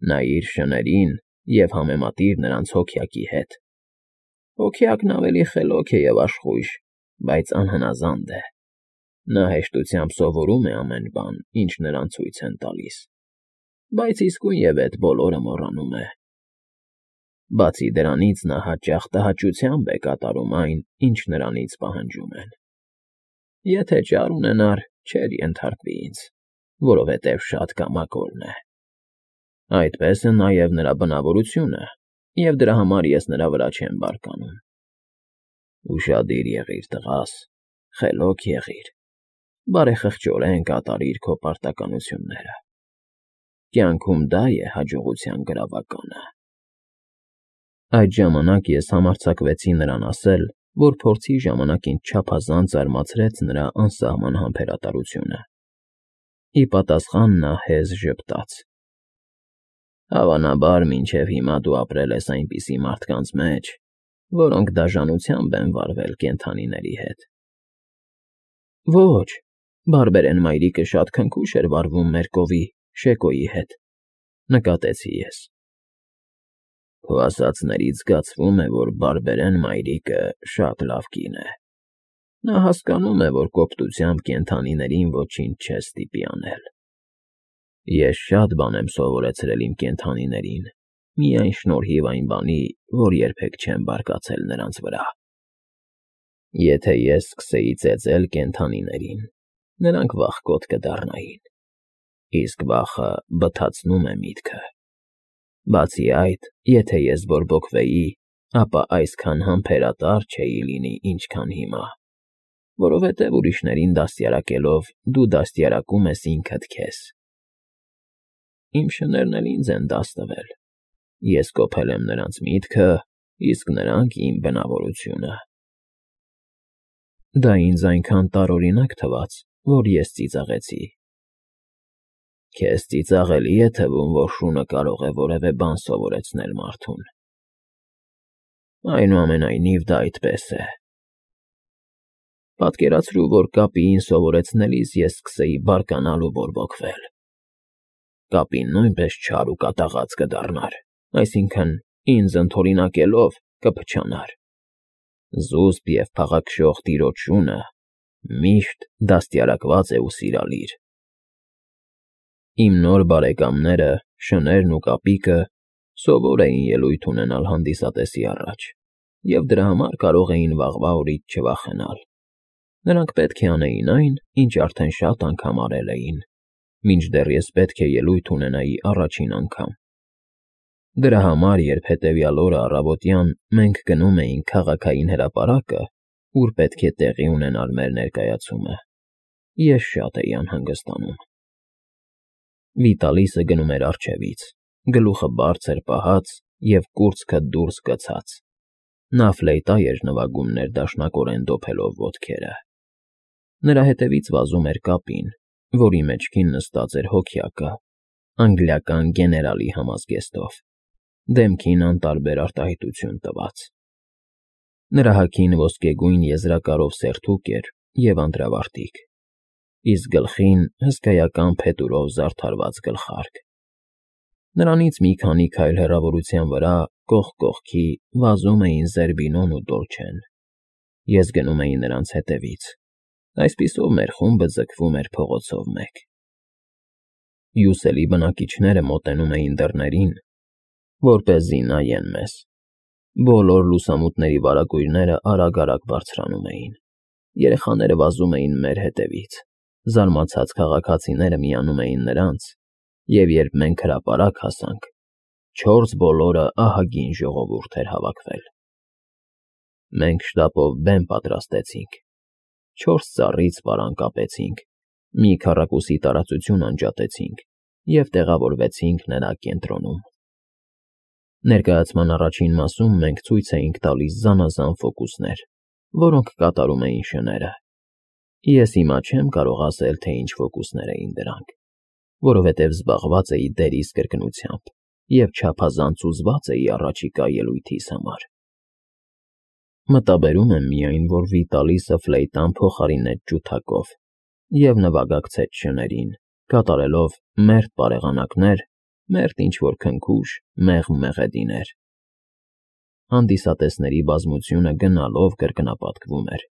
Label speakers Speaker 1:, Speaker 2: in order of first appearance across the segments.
Speaker 1: Նայիր շներին և համեմատիր նրանց հոգյակի հետ։ Հոգյակն ավելի խելոք է և աշխույժ, բայց անհնազանդ է։ Նա հեշտությամբ սովորում է ամեն բան, ինչ նրան ցույց են տալիս, բայց իսկույնևեթ բոլորը մոռանում է։ Բացի դրանից նա հաճախ տհաճությամբ է կատարում այն, ինչ նրանից պահանջում են։ Եթե ճար ունենար, չէր ենթարկվի ինձ, որովհետև շատ կամակորն է։ Այդպես է նաև նրա բնավորությունը, և դրա համար ես նրա վրա չեմ բարկանում։ Ուշադիր եղիր, տղաս, խելոք եղիր, բարեխղճորեն կատարիր քո պարտականությունները։ Կյանքում դա է հաջողության գրավականը։ Այդ ժամանակ ես համարձակվեցի նրան ասել, որ փորձի ժամանակ ինձ չափազանց զարմացրեց նրա անսահման համբերատարությունը։ Ի պատասխան նա հեզ ժպտաց. Հավանաբար, մինչև հիմա դու ապրել ես այնպիսի մարդկանց մեջ, որոնք դաժանությամբ են վարվել կենդանիների հետ։ Ոչ, բարբերեն մայրիկը շատ քնքուշ էր վարվում մեր կովի, Շեկոյի հետ, նկատեցի ես։ Քո ասածներից զգացվում է, որ բարբերեն մայրիկը շատ լավ կին է։ Նա հասկանում է, որ կոպտությամբ կենդանիներին ոչինչ չէ ստիպի անել։ Ես շատ բան եմ սովորեցրել իմ կենդանիներին, միայն շնորհիվ այն բանի, որ երբեք չեմ բարկացել նրանց վրա։ Եթե ես սկսեի ծեծել կենդանիներին, նրանք վախկոտ կդառնային, իսկ վախը բթացնում է միտքը։ Բացի այդ, եթե ես բորբոքվեի, ապա այսքան համբերատար չէի լինի, ինչքան հիմա, որովհետև ուրիշներին դաստիարակելով դու դաստիարակում ես ինքդ քեզ։ Իմ շներն էլ ինձ են դաս տվել։ Ես կոփել եմ նրանց միտքը, իսկ նրանք իմ բնավորությունը։ Դա ինձ այնքան տարօրինակ թվաց, որ ես ծիծաղեցի։ Քեզ ծիծաղելի է թվում, որ շունը կարող է որևէ բան սովորեցնել մարդուն։ Այնուամենայնիվ դա այդպես է։ Պատկերացրու, որ կապիին սովորեցնելիս ես սկսեի բարկանալ ու բորբոքվել։ Կապին նույնպես չար ու կատաղած կդառնար, այսինքն, ինձ ընդօրինակելով կփչանար։ Զուսպ և փաղաքշող տիրոջ շունը միշտ դաստիարակված է ու սիրալիր։ Իմ նոր բարեկամները, շներն ու կապիկը, սովոր էին ելույթ ունենալ հանդիսատեսի առաջ, և դրա համար կարող էին վաղվա օրից չվախենալ։ Նրանք պետք է անեին այն, ինչ արդեն շատ անգամ արել էին, մինչդեռ ես պետք է ելույթ ունենայի առաջին անգամ։ Դրա համար, երբ հետևյալ օրը առավոտյան մենք գնում էինք քաղաքային հրապարակը, ուր պետք է տեղի ունենար մեր ներկայացումը, ես շատ էի անհանգստանում։ Վիտալիսը գնում էր առջևից, գլուխը բարձր պահած և կուրծքը դուրս գցած։ Նա ֆլեյտա էր նվագում ներդաշնակորեն դոփելով ոտքերը։ Նրա հետևից վազում էր կապին, որի մեջքին նստած էր հոգյակը, անգլիական գեներալի համազգեստով, դեմքին անտարբեր արտահայտություն տված։ Նրա հագին ոսկեգույն եզրակարով սերթուկ էր և անդրավարտիք, իսկ գլխին հսկայական փետուրով զարդարված գլխարկ։ Նրանից մի քանի քայլ հեռավորության վրա, կողք կողքի, վազում էին Զերբինոն ու Դոլչեն։ Ես գնում էի նրանց հետևից։ Այսպիսով մեր խումբը ձգվում էր փողոցով մեկ։ Հյուսելի բնակիչները մոտենում էին դռներին, որպեսզի նայեն մեզ։ Բոլոր լուսամուտների վարագույրները արագ-արագ բարձրանում էին։ Երեխաները վազում էին մեր հետևից։ Զարմացած քաղաքացիները միանում էին նրանց, և երբ մենք հրապարակ հասանք, չորս բոլորը ահագին ժողովուրդ էր հավաքվել։ Մենք շտապով բեմ պատրաստեցինք։ 4 ծառից պարան կապեցինք, մի քառակուսի տարածություն անջատեցինք և տեղավորվեցինք նրա կենտրոնում։ Ներկայացման առաջին մասում մենք ցույց էինք տալիս զանազան ֆոկուսներ, որոնք կատարում էին շները։ Ես հիմա չեմ կարող ասել, թե ինչ ֆոկուսներ էին դրանք, որովհետև զբաղված էի դերիս կրկնությամբ և չափազանց հուզված էի առաջիկա ելույթիս համար։ Մտաբերում եմ միայն, որ Վիտալիսը ֆլեյտան փոխարինեց ջութակով և նվագակցեց շներին, կատարելով մերթ բարեղանակներ, մերթ ինչ-որ քնքուշ, մեղմ մեղեդիներ։ Հանդիսատեսների բազմությունը գնալով կրկնապատկվում էր,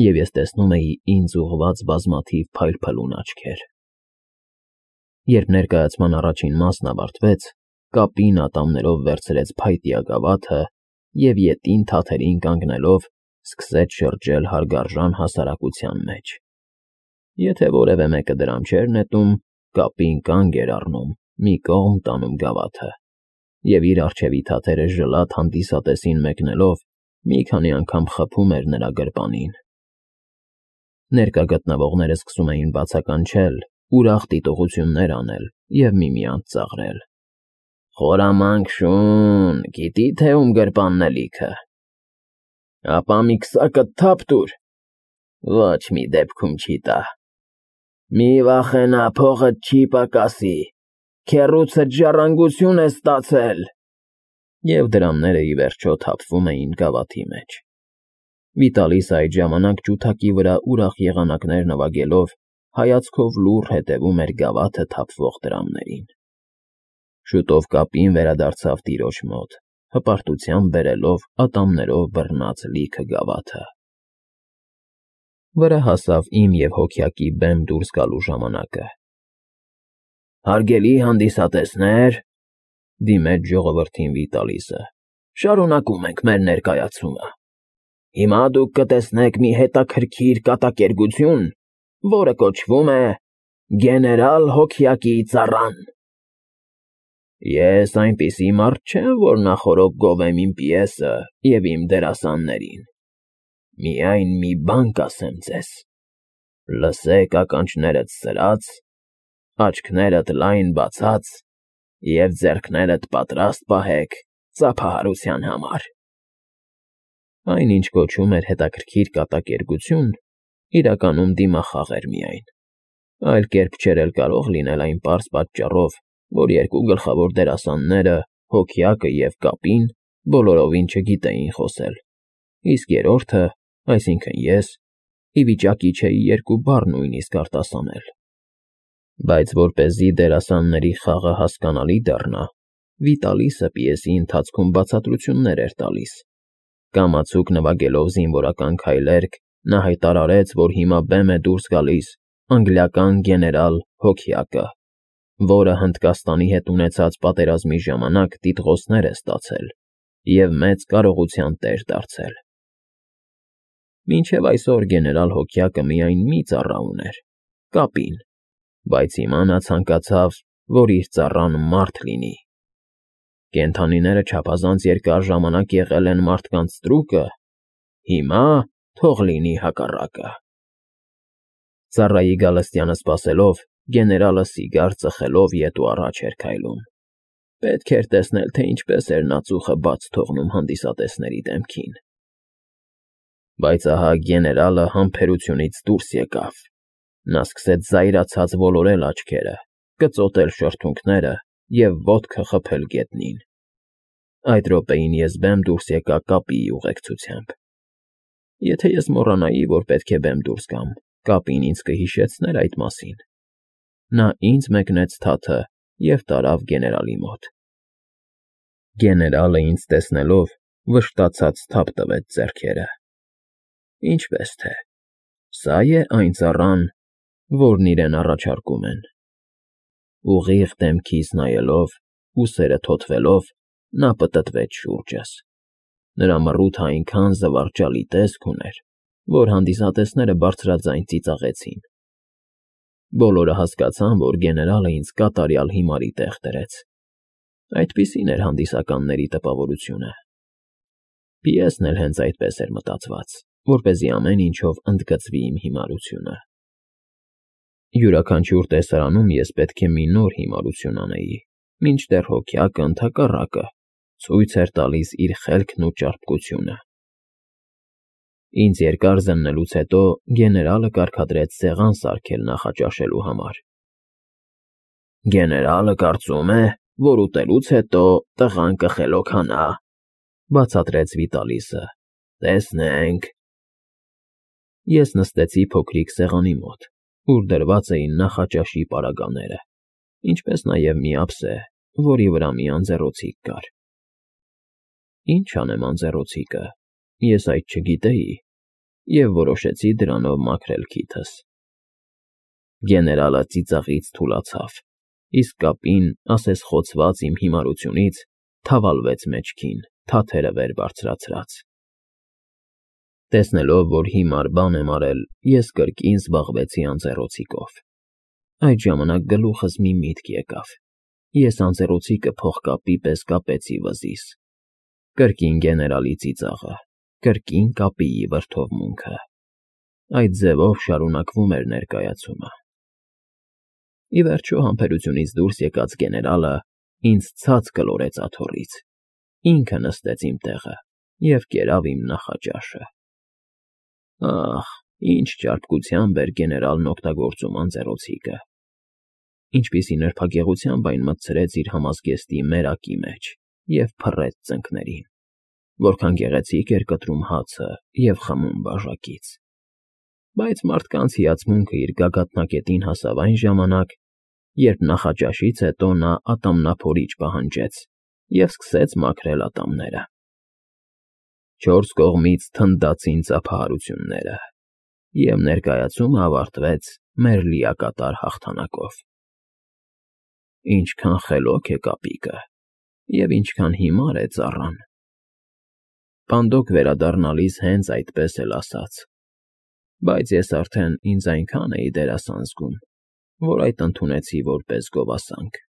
Speaker 1: և ես տեսնում էի ինձ ուղղված բազմաթիվ փայլփլուն աչքեր։ Երբ ներկայացման առաջին մասն ավարտվեց, կապին ատամներով վերցրեց փայտյա գավաթը և ետին թաթերին կանգնելով սկսեց շրջել հարգարժան հասարակության մեջ։ Եթե որևէ մեկը դրամ չէր նետում, կապին կանգ էր առնում, մի կողմ տանում գավաթը, և իր առջևի թաթերը ժլատ հանդիսատեսին մեկնելով մի քանի անգամ խփում էր նրա գրպանին։ Ներկա գտնվողները սկսում էին բացականչել, ուրախ դիտողություններ անել և միմյանց ծաղրել։ «Խորամանկ շուն, գիտի՞ թե ում գրպանն է լիքը։ Ապա մի քսակդ թափ տուր։ Ոչ մի դեպքում չի տա։ Մի վախենա, փողդ չի պակասի, քեռուցդ ժառանգություն ես ստացել»։ Եվ դրամները ի վերջո թափվում էին գավաթի մեջ։ Վիտալիսը այդ ժամանակ ջութակի վրա ուրախ եղանակներ նվագելով հայացքով լուռ հետևում էր գավաթը թափվող դրամներին։ Շուտով կապին վերադարձավ տիրոջ մոտ, հպարտությամբ բերելով ատամներով բռնած լիքը գավաթը։ Վրա հասավ իմ և հոգյակի բեմ դուրս գալու ժամանակը։ «Հարգելի հանդիսատեսներ,֊ դիմեց ժողովրդին Վիտալիսը,֊ շարունակում ենք մեր ներկայացումը։ Հիմա դուք կտեսնեք մի հետաքրքիր կատակերգություն, որը կոչվում է «Գեներալ Հոգյակի ծառան»։ Ես այնպիսի մարդ չեմ, որ նախօրոք գովեմ իմ պիեսը և իմ դերասաններին։ Միայն մի բան կասեմ ձեզ. լսեք ականջներդ սրած, աչքներդ լայն բացած և ձեռքներդ պատրաստ պահեք ծափահարության համար։ Այն, ինչ կոչվում էր հետաքրքիր կատակերգություն, իրականում դիմախաղ էր միայն։ Այլ կերպ չէր էլ կարող լինել այն պարզ պատճառով, որ երկու գլխավոր դերասանները՝ Հոգյակը և Կապին, բոլորովին չգիտեին խոսել, իսկ երրորդը, այսինքն ես, ի վիճակի չէի երկու բառ նույնիսկ արտասանել։ Բայց որպեսզի դերասանների խաղը հասկանալի դառնա, Վիտալիսը պիեսի ընթացքում բացատրություններ էր տալիս։ Կամացուկ նվագելով զինվորական քայլերգ, նա հայտարարեց, որ հիմա բեմ է դուրս գալիս անգլիական գեներալ Հոգյակը, որը Հնդկաստանի հետ ունեցած պատերազմի ժամանակ տիտղոսներ է ստացել և մեծ կարողության տեր դարձել։ Մինչև այսօր գեներալ Հոգյակը միայն մի ծառա ուներ՝ Կապին, բայց հիմա նա ցանկացավ, որ իր ծառան մարդ լինի։ Կենդանիները չափազանց երկար ժամանակ եղել են մարդկանց ստրուկը, հիմա թող լինի հակառակը։ Ծառայի գալստյանը սպասելով, գեներալը սիգար ծխելով ետ ու առաջ էր քայլում։ Պետք էր տեսնել, թե ինչպես էր նա ծուխը բաց թողնում հանդիսատեսների դեմքին։ Բայց ահա գեներալը համբերությունից դուրս եկավ։ Նա սկսեց զայրացած ոլորել աչքերը, կծոտել շրթունքները և ոտքը խփել գետնին։ Այդ րոպեին ես բեմ դուրս եկա Կապիի ուղեկցությամբ։ Եթե ես մոռանայի, որ պետք է բեմ դուրս գամ, Կապին ինձ կհիշեցներ այդ մասին։ Նա ինձ մեկնեց թաթը և տարավ գեներալի մոտ։ Գեներալը ինձ տեսնելով վշտացած թափ տվեց ձեռքերը։ Ինչպես թե, սա՞ է այն ծառան, որն իրեն առաջարկում են։ Ուղիղ դեմքիս նայելով, ուսերը թոթվելով, նա պտտվեց շուրջս։ Նրա մռութը այնքան զվարճալի տեսք ուներ, որ հանդիսատեսները բարձրաձայն ծիծաղեցին։ Բոլորը հասկացան, որ գեներալը ինձ կատարյալ հիմարի տեղ դրեց։ Այդպիսին էր հանդիսականների տպավորությունը։ Պիեսն էլ հենց այդպես էր մտածված, որպեսզի ամեն ինչով ընդգծվի իմ հիմարությունը։ Յուրաքանչյուր տեսարանում ես պետք է մի նոր հիմարություն անեի, մինչդեռ Հոգյակը ընդհակառակը ցույց էր տալիս իր խելքն ու ճարպկությունը։ Ինձ երկար զննելուց հետո գեներալը կարգադրեց սեղան սարքել նախաճաշելու համար։ Գեներալը կարծում է, որ ուտելուց հետո տղան կխելոքանա, բացատրեց Վիտալիսը։ Տեսնենք։ Ես նստեցի փոքրիկ սեղանի մոտ, ուր դրված էին նախաճաշի պարագաները, ինչպես նաև մի ափսե, որի վրա մի անձեռոցիկ կար։ Ինչ անեմ անձեռոցիկը, ես այդ չգիտեի և որոշեցի դրանով մաքրել քիթս։ Գեներալը ծիծաղից թուլացավ, իսկ կապին, ասես խոցված իմ հիմարությունից, թավալվեց մեջքին, թաթերը վեր բարձրացրած։ Տեսնելով, որ հիմար բան եմ արել, ես կրկին զբաղվեցի անձեռոցիկով։ Այդ ժամանակ գլուխս մի միտք եկավ. ես անձեռոցիկը փողկապի պես կապեցի վզիս։ Կրկին գեներալի ծիծաղը, կրկին կապիի վրդովմունքը։ Այդ ձևով շարունակվում էր ներկայացումը։ Ի վերջո համբերությունից դուրս եկած գեներալը ինձ ցած կլորեց աթոռից, ինքը նստեց իմ տեղը և կերավ իմ նախաճաշը։ Ահ, ինչ ճարպկությամբ էր գեներալն օգտագործում անձեռոցիկը, ինչպիսի նրբագեղությամբ այն մտցրեց իր համազգեստի մերակի մեջ և փռեց ծնկներին, որքան գեղեցիկ էր կտրում հացը և խմում բաժակից։ Բայց մարդկանց հիացմունքը իր գագաթնակետին հասավ այն ժամանակ, երբ նախաճաշից հետո նա ատամնափորիչ պահանջեց և սկսեց մաքրել ատամները։ Չորս կողմից թնդացին ծափահարությունները, և ներկայացումը ավարտվեց մեր լիակատար հաղթանակով։ Ինչքան խելոք է կապիկը, և ինչքան հիմար է ծառան։ Պանդոկ վերադառնալիս հենց այդպես էլ ասաց, բայց ես արդեն ինձ այնքան էի դերասան զգում, որ այդ ընդունեցի որպես գովասանք։